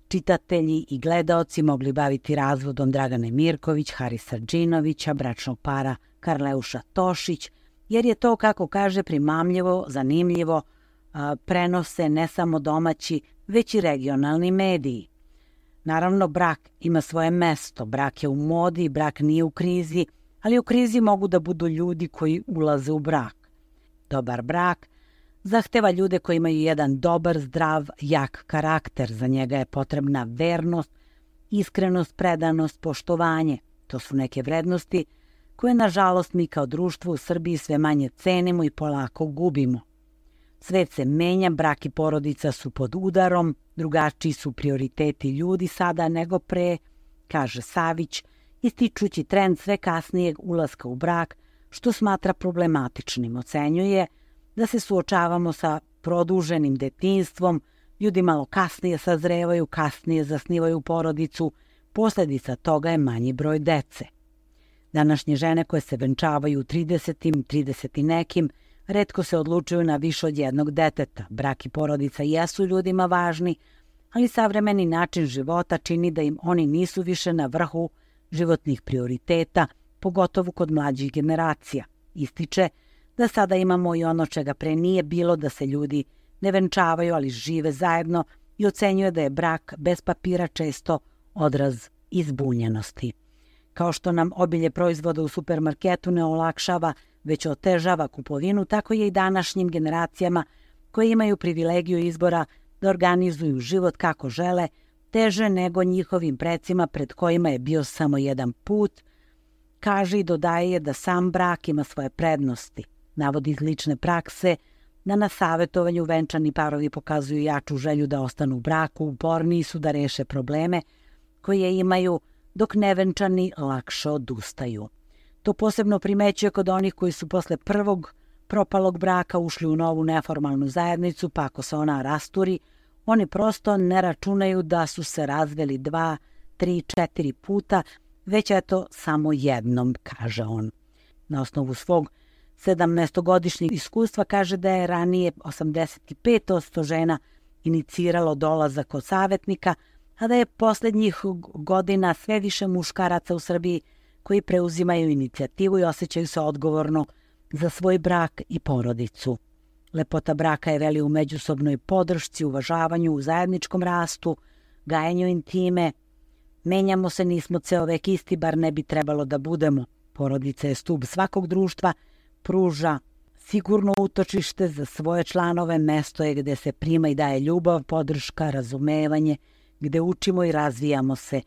čitatelji i gledaoci mogli baviti razvodom Dragane Mirković, Harisa Džinovića, bračnog para Karleuša Tošić, jer je to, kako kaže, primamljivo, zanimljivo, prenose ne samo domaći, već i regionalni mediji. Naravno, brak ima svoje mesto, brak je u modi, brak nije u krizi, ali u krizi mogu da budu ljudi koji ulaze u brak. Dobar brak zahteva ljude koji imaju jedan dobar, zdrav, jak karakter. Za njega je potrebna vernost, iskrenost, predanost, poštovanje. To su neke vrednosti koje, nažalost, mi kao društvo u Srbiji sve manje cenimo i polako gubimo. Svet se menja, brak i porodica su pod udarom, drugačiji su prioriteti ljudi sada nego pre, kaže Savić, ističući trend sve kasnijeg ulaska u brak, što smatra problematičnim. Ocenjuje da se suočavamo sa produženim detinjstvom, ljudi malo kasnije sazrevaju, kasnije zasnivaju porodicu, posljedica toga je manji broj dece. Današnje žene koje se venčavaju u tridesetim, trideset i nekim, retko se odlučuju na više od jednog deteta. Brak i porodica jesu ljudima važni, ali savremeni način života čini da im oni nisu više na vrhu životnih prioriteta, pogotovo kod mlađih generacija. Ističe da sada imamo i ono čega pre nije bilo, da se ljudi ne venčavaju, ali žive zajedno, i ocenjuje da je brak bez papira često odraz izbunjenosti. Kao što nam obilje proizvoda u supermarketu ne olakšava, već otežava kupovinu, tako je i današnjim generacijama koje imaju privilegiju izbora da organizuju život kako žele, teže nego njihovim precima pred kojima je bio samo jedan put. Kaže i dodaje da sam brak ima svoje prednosti. Navodi iz lične prakse da na savjetovanju venčani parovi pokazuju jaču želju da ostanu u braku, uporniji su da reše probleme koje imaju, dok nevenčani lakše odustaju. To posebno primećuje kod onih koji su posle prvog propalog braka ušli u novu neformalnu zajednicu, pa ako se ona rasturi, oni prosto ne računaju da su se razveli dva, tri, četiri puta, već eto samo jednom, kaže on. Na osnovu svog sedamnaestogodišnjeg iskustva kaže da je ranije osamdeset pet posto žena iniciralo dolazak kod savjetnika, a da je posljednjih godina sve više muškaraca u Srbiji koji preuzimaju inicijativu i osjećaju se odgovorno za svoj brak i porodicu. Lepota braka je veli u međusobnoj podršci, uvažavanju, u zajedničkom rastu, gajenju intime. Menjamo se, nismo ceo vek isti, bar ne bi trebalo da budemo. Porodica je stub svakog društva, pruža sigurno utočište za svoje članove, mesto je gde se prima i daje ljubav, podrška, razumevanje, gde učimo i razvijamo se.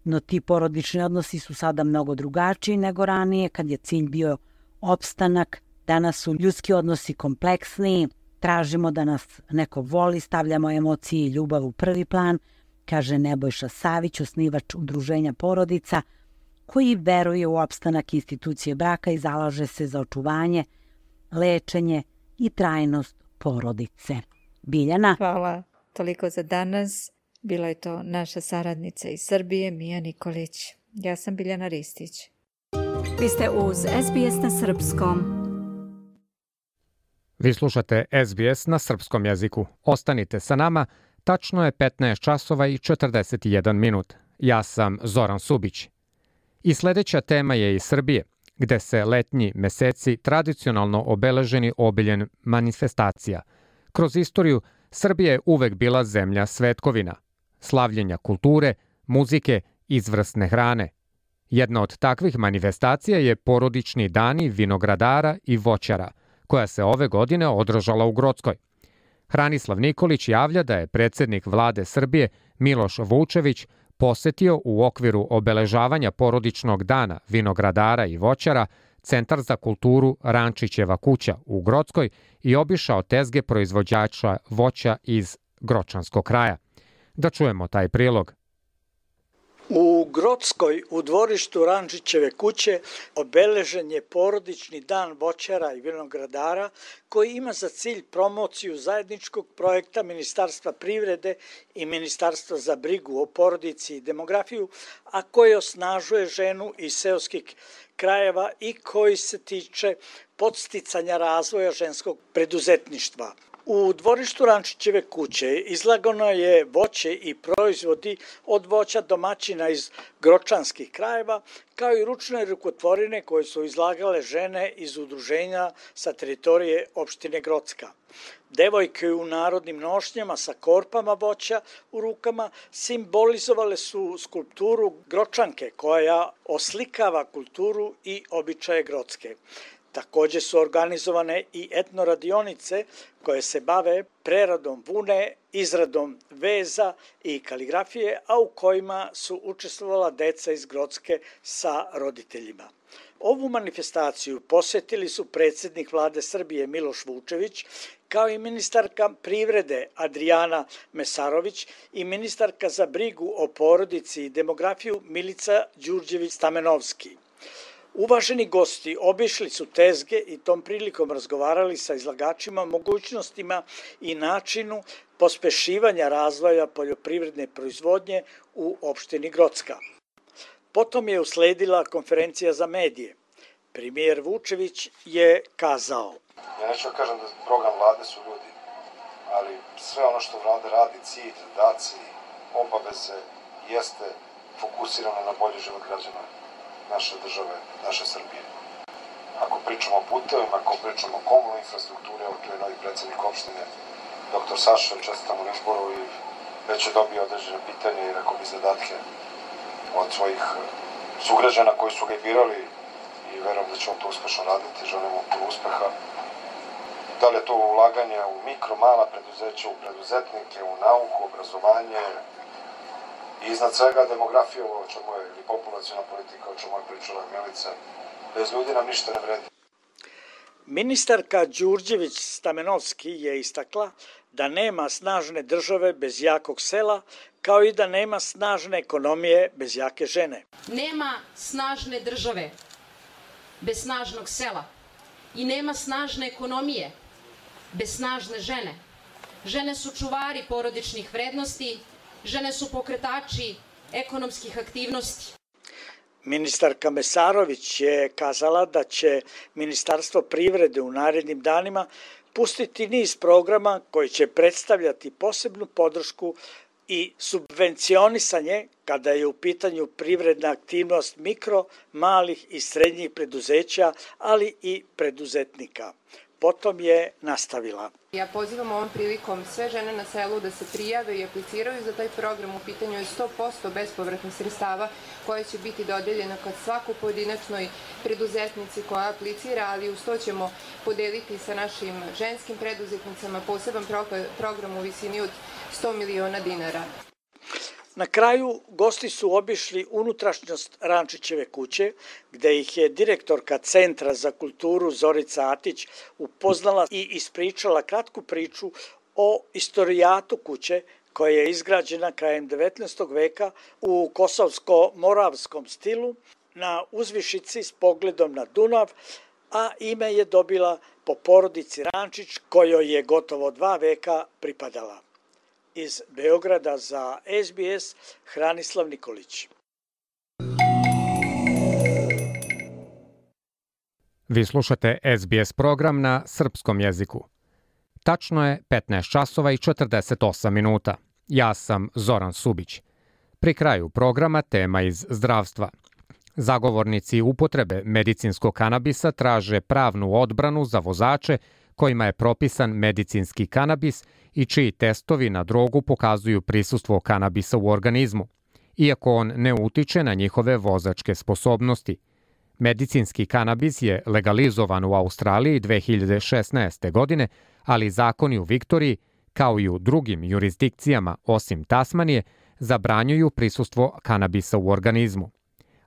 No ti porodični odnosi su sada mnogo drugačiji nego ranije, kad je cilj bio opstanak. Danas su ljudski odnosi kompleksniji, tražimo da nas neko voli, stavljamo emocije i ljubav u prvi plan, kaže Nebojša Savić, osnivač udruženja porodica, koji veruje u opstanak institucije braka i zalaže se za očuvanje, lečenje i trajnost porodice. Biljana? Hvala. Toliko za danas. Bila je to naša saradnica iz Srbije, Mija Nikolić. Ja sam Biljana Ristić. Vi ste uz S B S na srpskom. Vi slušate S B S na srpskom jeziku. Ostanite sa nama. Tačno je petnaest časova i četrdeset jedan minut. Ja sam Zoran Subić. I sljedeća tema je iz Srbije, gde se letnji meseci tradicionalno obeleženi obiljen manifestacija. Kroz istoriju Srbija je uvek bila zemlja svetkovina, slavljenja kulture, muzike, izvrsne hrane. Jedna od takvih manifestacija je porodični dani vinogradara i voćara, koja se ove godine održala u Grockoj. Hranislav Nikolić javlja da je predsjednik vlade Srbije Miloš Vučević posetio u okviru obeležavanja porodičnog dana vinogradara i voćara Centar za kulturu Rančićeva kuća u Grockoj i obišao tezge proizvođača voća iz Gročanskog kraja. Da čujemo taj prilog. U Grockoj, u dvorištu Rančićeve kuće, obeležen je porodični dan voćara i vinogradara koji ima za cilj promociju zajedničkog projekta Ministarstva privrede i Ministarstva za brigu o porodici i demografiju, a koji osnažuje ženu iz seoskih krajeva i koji se tiče podsticanja razvoja ženskog preduzetništva. U dvorištu Rančićeve kuće izlagano je voće i proizvodi od voća domaćina iz gročanskih krajeva, kao i ručne rukotvorine koje su izlagale žene iz udruženja sa teritorije opštine Grocka. Devojke u narodnim nošnjama sa korpama voća u rukama simbolizovale su skulpturu Gročanke koja oslikava kulturu i običaje Grocke. Takođe su organizovane i etno radionice koje se bave preradom vune, izradom veza i kaligrafije, a u kojima su učestvovala deca iz Grocke sa roditeljima. Ovu manifestaciju posetili su predsjednik vlade Srbije Miloš Vučević, kao i ministarka privrede Adrijana Mesarović i ministarka za brigu o porodici i demografiju Milica Đurđević-Stamenovski. Uvaženi gosti obišli su tezge i tom prilikom razgovarali sa izlagačima mogućnostima i načinu pospešivanja razvoja poljoprivredne proizvodnje u opštini Grocka. Potom je usledila konferencija za medije. Premijer Vučević je kazao: Ja neću da kažem da program vlade su ljudi, ali sve ono što vlada radi, cilj, zadaci, obaveze, jeste fokusirano na bolji život građana naše države, naše Srbije. Ako pričamo o putevima, ako pričamo o komunalnoj infrastrukturi, evo tu je novi predsjednik opštine, doktor Saša, čestitam u izboru i već je dobio određene pitanje i rekao bi zadatke od svojih sugrađana koji su ga birali i verujem da će on to uspešno raditi, želim mu puno uspeha. Da li je to ulaganje u mikro, mala preduzeća, u preduzetnike, u nauku, obrazovanje, i iznad svega demografija, o čemu je ili populaciona politika, o čemu je pričala Milica. Bez ljudi nam ništa ne vredi. Ministarka Đurđević-Stamenovski je istakla da nema snažne države bez jakog sela, kao i da nema snažne ekonomije bez jake žene. Nema snažne države bez snažnog sela i nema snažne ekonomije bez snažne žene. Žene su čuvari porodičnih vrednosti, žene su pokretači ekonomskih aktivnosti. Ministarka Mesarović je kazala da će Ministarstvo privrede u narednim danima pustiti niz programa koji će predstavljati posebnu podršku i subvencionisanje kada je u pitanju privredna aktivnost mikro, malih i srednjih preduzeća, ali i preduzetnika. Potom je nastavila. Ja pozivam ovom prilikom sve žene na selu da se prijave i apliciraju za taj program. U pitanju je sto posto bespovratnih sredstava koje će biti dodeljena kad svako pojedinačnoj preduzetnici koja aplicira, ali uz to ćemo podeliti sa našim ženskim preduzetnicama poseban program u visini od sto miliona dinara. Na kraju, gosti su obišli unutrašnjost Rančićeve kuće, gde ih je direktorka Centra za kulturu Zorica Atić upoznala i ispričala kratku priču o istorijatu kuće koja je izgrađena krajem devetnaestog veka u kosovsko-moravskom stilu na uzvišici s pogledom na Dunav, a ime je dobila po porodici Rančić kojoj je gotovo dva veka pripadala. Iz Beograda za S B S, Hranislav Nikolić. Vi slušate S B S program na srpskom jeziku. Tačno je petnaest časova i četrdeset osam minuta. Ja sam Zoran Subić. Pri kraju programa tema iz zdravstva. Zagovornici upotrebe medicinskog kanabisa traže pravnu odbranu za vozače kojima je propisan medicinski kanabis i čiji testovi na drogu pokazuju prisustvo kanabisa u organizmu, iako on ne utiče na njihove vozačke sposobnosti. Medicinski kanabis je legalizovan u Australiji dve hiljade šesnaeste. godine, ali zakoni u Viktoriji, kao i u drugim jurisdikcijama osim Tasmanije, zabranjuju prisustvo kanabisa u organizmu.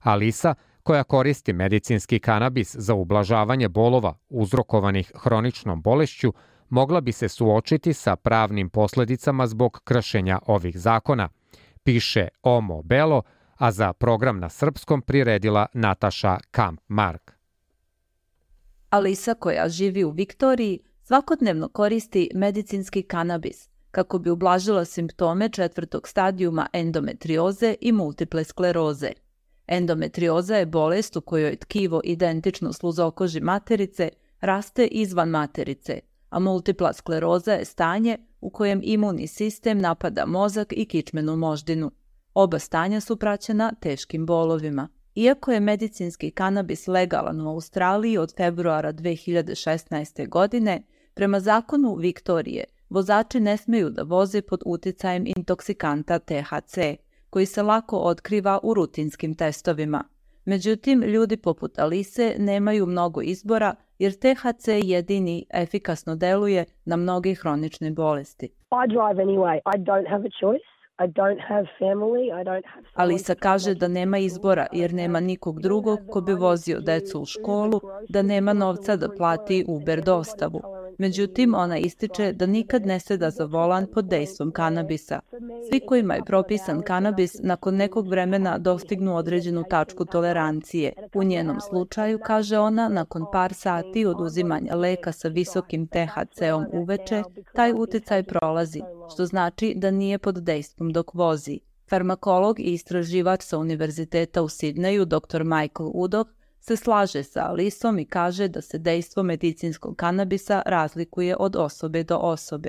Alisa, koja koristi medicinski kanabis za ublažavanje bolova uzrokovanih hroničnom bolešću, mogla bi se suočiti sa pravnim posledicama zbog kršenja ovih zakona, piše Omo Belo, a za program na srpskom priredila Nataša Kamp-Mark. Alisa, koja živi u Viktoriji, svakodnevno koristi medicinski kanabis kako bi ublažila simptome četvrtog stadijuma endometrioze i multiple skleroze. Endometrioza je bolest u kojoj tkivo identično sluzokoži materice raste izvan materice, a multipla skleroza je stanje u kojem imunni sistem napada mozak i kičmenu moždinu. Oba stanja su praćena teškim bolovima. Iako je medicinski kanabis legalan u Australiji od februara dve hiljade šesnaeste. godine, prema zakonu Viktorije, vozači ne smeju da voze pod uticajem intoksikanta T H C, koji se lako otkriva u rutinskim testovima. Međutim, ljudi poput Alise nemaju mnogo izbora jer T H C jedini efikasno deluje na mnoge hronične bolesti. I drive anyway. I don't have a choice. I don't have family. I don't have... Alisa kaže da nema izbora jer nema nikog drugog ko bi vozio decu u školu, da nema novca da plati Uber dostavu. Međutim, ona ističe da nikad ne seda za volan pod dejstvom kanabisa. Svi kojima je propisan kanabis nakon nekog vremena dostignu određenu tačku tolerancije. U njenom slučaju, kaže ona, nakon par sati od uzimanja leka sa visokim T H C-om uveče, taj uticaj prolazi, što znači da nije pod dejstvom dok vozi. Farmakolog i istraživač sa Univerziteta u Sidneju, doktor Michael Udoh, se slaže sa Alisom i kaže da se dejstvo medicinskog kanabisa razlikuje od osobe do osobe.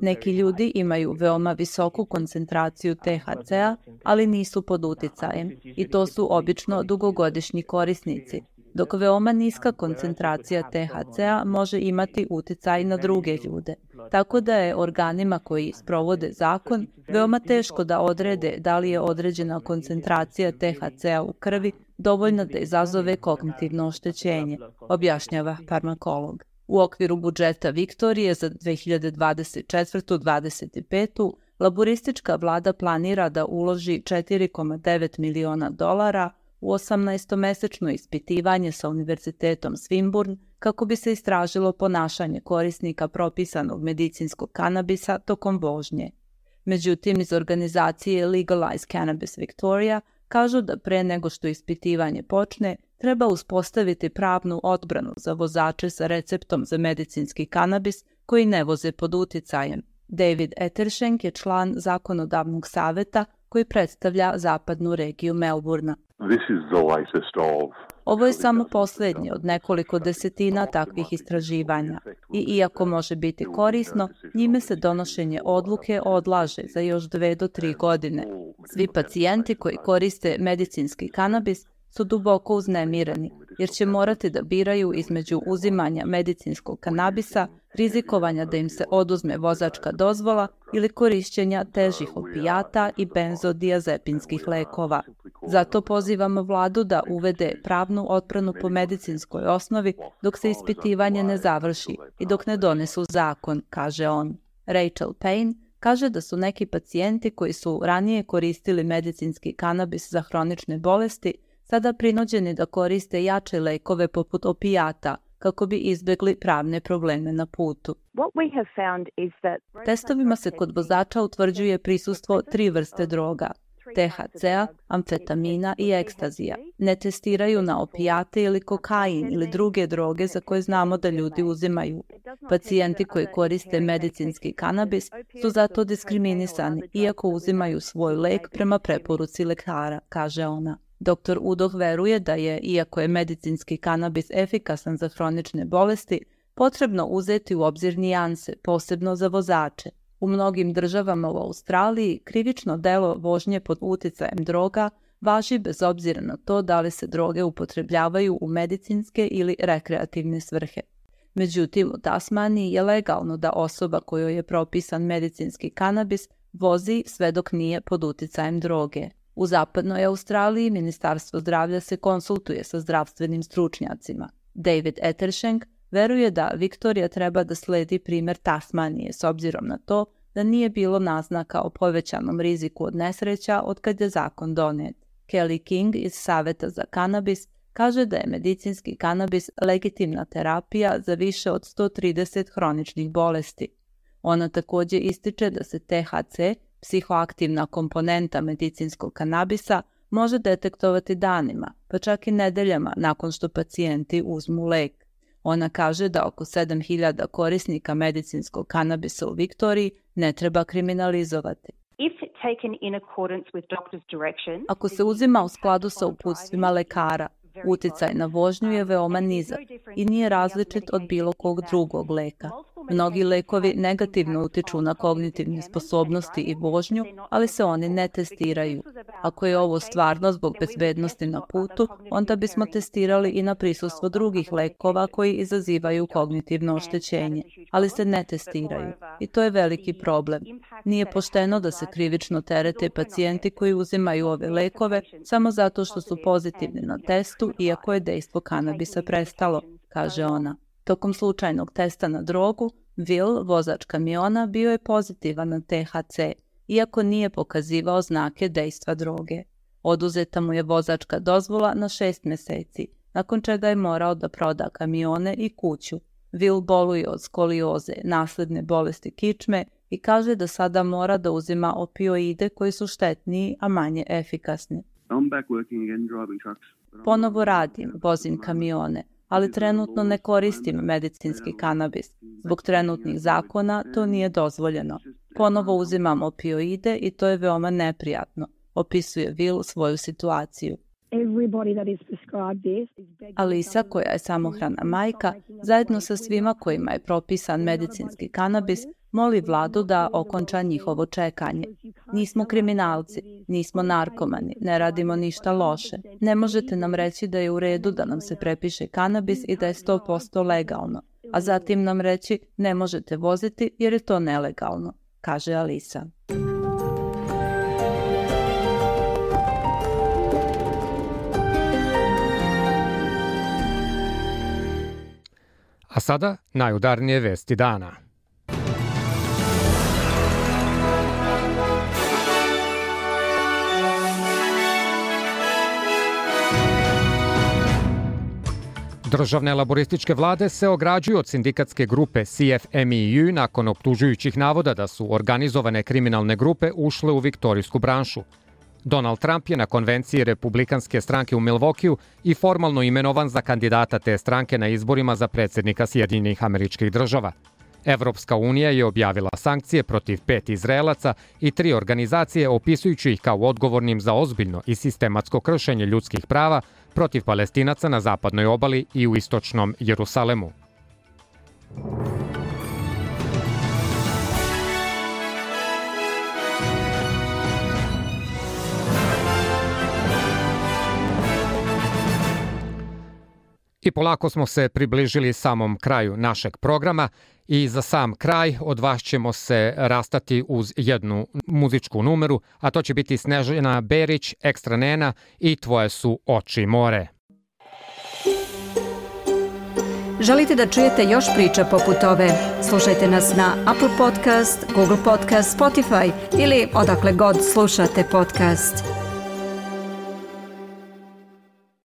Neki ljudi imaju veoma visoku koncentraciju T H C-a, ali nisu pod uticajem i to su obično dugogodišnji korisnici, dok veoma niska koncentracija T H C-a može imati uticaj na druge ljude. Tako da je organima koji sprovode zakon veoma teško da odrede da li je određena koncentracija T H C-a u krvi dovoljna da izazove kognitivno oštećenje, objašnjava farmakolog. U okviru budžeta Viktorije za dve hiljade dvadeset četvrtu do dvadeset petu. laboristička vlada planira da uloži četiri zarez devet miliona dolara u osamnaestomesečno ispitivanje sa Univerzitetom Swinburne kako bi se istražilo ponašanje korisnika propisanog medicinskog kanabisa tokom vožnje. Međutim, iz organizacije Legalize Cannabis Victoria kažu da pre nego što ispitivanje počne, treba uspostaviti pravnu odbranu za vozače sa receptom za medicinski kanabis koji ne voze pod uticajem. David Etershenk je član zakonodavnog saveta koji predstavlja zapadnu regiju Melbourna. Ovo je samo posljednje od nekoliko desetina takvih istraživanja i iako može biti korisno, njime se donošenje odluke odlaže za još dve do tri godine. Svi pacijenti koji koriste medicinski kanabis su duboko uznemireni jer će morati da biraju između uzimanja medicinskog kanabisa, rizikovanja da im se oduzme vozačka dozvola ili korišćenja težih opijata i benzodiazepinskih lekova. Zato pozivamo vladu da uvede pravnu odbranu po medicinskoj osnovi dok se ispitivanje ne završi i dok ne donesu zakon, kaže on. Rachel Payne kaže da su neki pacijenti koji su ranije koristili medicinski kanabis za hronične bolesti sada prinuđeni da koriste jače lekove poput opijata kako bi izbjegli pravne probleme na putu. Testovima se kod vozača utvrđuje prisustvo tri vrste droga, T H C-a, amfetamina i ekstazija. Ne testiraju na opijate ili kokain ili druge droge za koje znamo da ljudi uzimaju. Pacijenti koji koriste medicinski kanabis su zato diskriminisani iako uzimaju svoj lek prema preporuci lekara, kaže ona. Doktor Udoh veruje da je, iako je medicinski kanabis efikasan za hronične bolesti, potrebno uzeti u obzir nijanse, posebno za vozače. U mnogim državama u Australiji krivično delo vožnje pod uticajem droga važi bez obzira na to da li se droge upotrebljavaju u medicinske ili rekreativne svrhe. Međutim, u Tasmaniji je legalno da osoba kojoj je propisan medicinski kanabis vozi sve dok nije pod uticajem droge. U zapadnoj Australiji Ministarstvo zdravlja se konsultuje sa zdravstvenim stručnjacima. David Etershenk veruje da Viktorija treba da sledi primjer Tasmanije s obzirom na to da nije bilo naznaka o povećanom riziku od nesreća od kad je zakon donet. Kelly King iz Saveta za kanabis kaže da je medicinski kanabis legitimna terapija za više od sto trideset hroničnih bolesti. Ona također ističe da se T H C, psihoaktivna komponenta medicinskog kanabisa, može detektovati danima, pa čak i nedeljama nakon što pacijenti uzmu lek. Ona kaže da oko sedam hiljada korisnika medicinskog kanabisa u Viktoriji ne treba kriminalizovati. Ako se uzima u skladu sa uputstvima lekara, Uticaj na vožnju je veoma nizak i nije različit od bilo kog drugog leka. Mnogi lekovi negativno utiču na kognitivne sposobnosti i vožnju, ali se oni ne testiraju. Ako je ovo stvarno zbog bezbednosti na putu, onda bismo testirali i na prisustvo drugih lekova koji izazivaju kognitivno oštećenje, ali se ne testiraju. I to je veliki problem. Nije pošteno da se krivično terete pacijenti koji uzimaju ove lekove samo zato što su pozitivni na testu, iako je dejstvo kanabisa prestalo, kaže ona. Tokom slučajnog testa na drogu, Will, vozač kamiona, bio je pozitivan na T H C, iako nije pokazivao znake dejstva droge. Oduzeta mu je vozačka dozvola na šest meseci, nakon čega je morao da proda kamione i kuću. Will boluje od skolioze, nasledne bolesti kičme i kaže da sada mora da uzima opioide koji su štetniji, a manje efikasni. Ponovo radim, vozim kamione, ali trenutno ne koristim medicinski kanabis. Zbog trenutnih zakona to nije dozvoljeno. Ponovo uzimam opioide i to je veoma neprijatno, opisuje Will svoju situaciju. Alisa, koja je samohrana majka, zajedno sa svima kojima je propisan medicinski kanabis, moli vladu da okonča njihovo čekanje. Nismo kriminalci, nismo narkomani, ne radimo ništa loše. Ne možete nam reći da je u redu da nam se prepiše kanabis i da je sto posto legalno, a zatim nam reći ne možete voziti jer je to nelegalno, kaže Alisa. A sada najudarnije vesti dana. Državne laborističke vlade se ograđuju od sindikatske grupe C F M E U nakon optužujućih navoda da su organizovane kriminalne grupe ušle u viktorijsku branšu. Donald Trump je na konvenciji republikanske stranke u Milwaukeeu i formalno imenovan za kandidata te stranke na izborima za predsjednika Sjedinjenih Američkih Država. Evropska unija je objavila sankcije protiv pet Izraelaca i tri organizacije opisujući ih kao odgovornim za ozbiljno i sistematsko kršenje ljudskih prava protiv Palestinaca na zapadnoj obali i u istočnom Jerusalemu. I polako smo se približili samom kraju našeg programa i za sam kraj od vas ćemo se rastati uz jednu muzičku numeru, a to će biti Snežana Berić, Ekstra Nena i Tvoje su oči more. Želite da čujete još priča poput ove? Slušajte nas na Apple Podcast, Google Podcast, Spotify ili odakle god slušate podcast.